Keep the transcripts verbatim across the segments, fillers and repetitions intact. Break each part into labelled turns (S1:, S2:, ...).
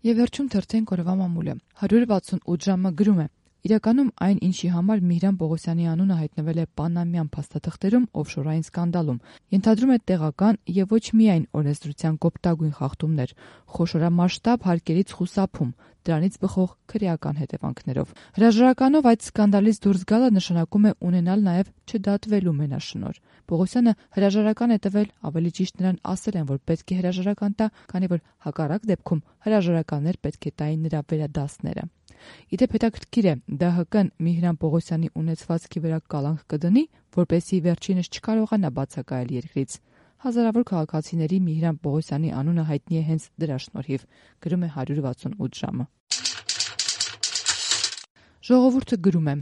S1: Եվ վերջում թերթեն կորովա մամուլը հարյուր վաթսունութ ժամը գրում է. իրականում այն, ինչի համար Միհրան Պողոսյանի անունը հայտնվել է պանամյան փաստաթղթերում օֆշորային սկանդալում, ենթադրում է տեղական եւ ոչ միայն օրենսդրության կոպտագույն խախտումներ, խոշորամասշտաբ հարկերից խուսափում, դրանից բխող քրեական հետևանքներով։ Հրաժարականով այդ սկանդալից դուրս գալը նշանակում է ունենալ նաեւ չդատվելու մենաշնորհ։ Պողոսյանը հրաժարական է տվել, ավելի ճիշտ նրան ասել են, որ պետք է հրաժարական տա, քանի որ հակառակ դեպքում հրաժարականներ պետք է տային նրա վերադասները։ Իդեպ հետաքրքիր է, ԴՀԿ-ն Միհրան Պողոսյանի ունեցվածքի վրա կալանք կդնի, որպեսզի վերջինս չկարողանա բացակայել երկրից։ Հազարավոր քաղաքացիների Միհրան Պողոսյանի անունը հայտնի է հենց դրա շնորհիվ, գրում է հարյուր վաթսունութ ժամը։ Ժողովուրդը գրում է.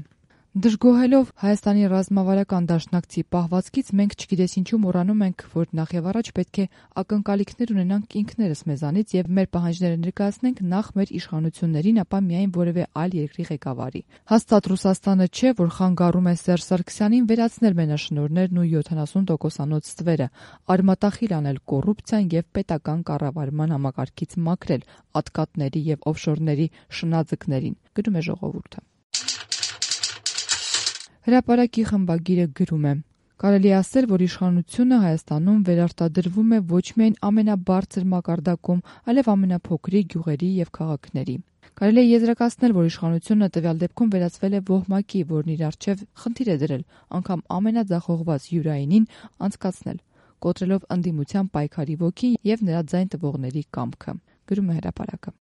S1: Դժգոհելով Հայաստանի ռազմավարական դաշնակցի պահվածքից մենք չգիտես ինչու մոռանում ենք, որ նախ եւ առաջ պետք է ակնկալիքներ ունենանք ինքներս մեզանից եւ մեր պահանջները ներկայացնենք նախ մեր իշխանություններին, ապա միայն որևէ այլ երկրի ղեկավարի։ Հաստատ Ռուսաստանը չէ, որ խանգարում է Սերժ Սարգսյանին վերացնել մենաշնորհներն ու յոթանասուն տոկոսանոց ստվերը, արմատախիլ անել կոռուպցիան եւ պետական կառավարման համակարգից մաքրել ատկատների եւ օֆշորների շնաձկներին, գրում է Ժողովուրդը։ Հրապարակի խմբագիրը գրում է. կարելի է ասել, որ իշխանությունը Հայաստանում վերարտադրվում է ոչ միայն ամենաբարձր մակարդակում, այլև ամենափոքրիկ գյուղերի եւ քաղաքների։ Կարելի է եզրակացնել, որ իշխանությունը տվյալ դեպքում վերածվել է ոհմակի, որն իր առջև խնդիր է դրել անգամ ամենաձախողված յուրայինին անցկացնել, կոտրելով ընդդիմության պայքարի ոգին եւ նրա ձայն տվողների կամքը, գրում է Հրապարակը։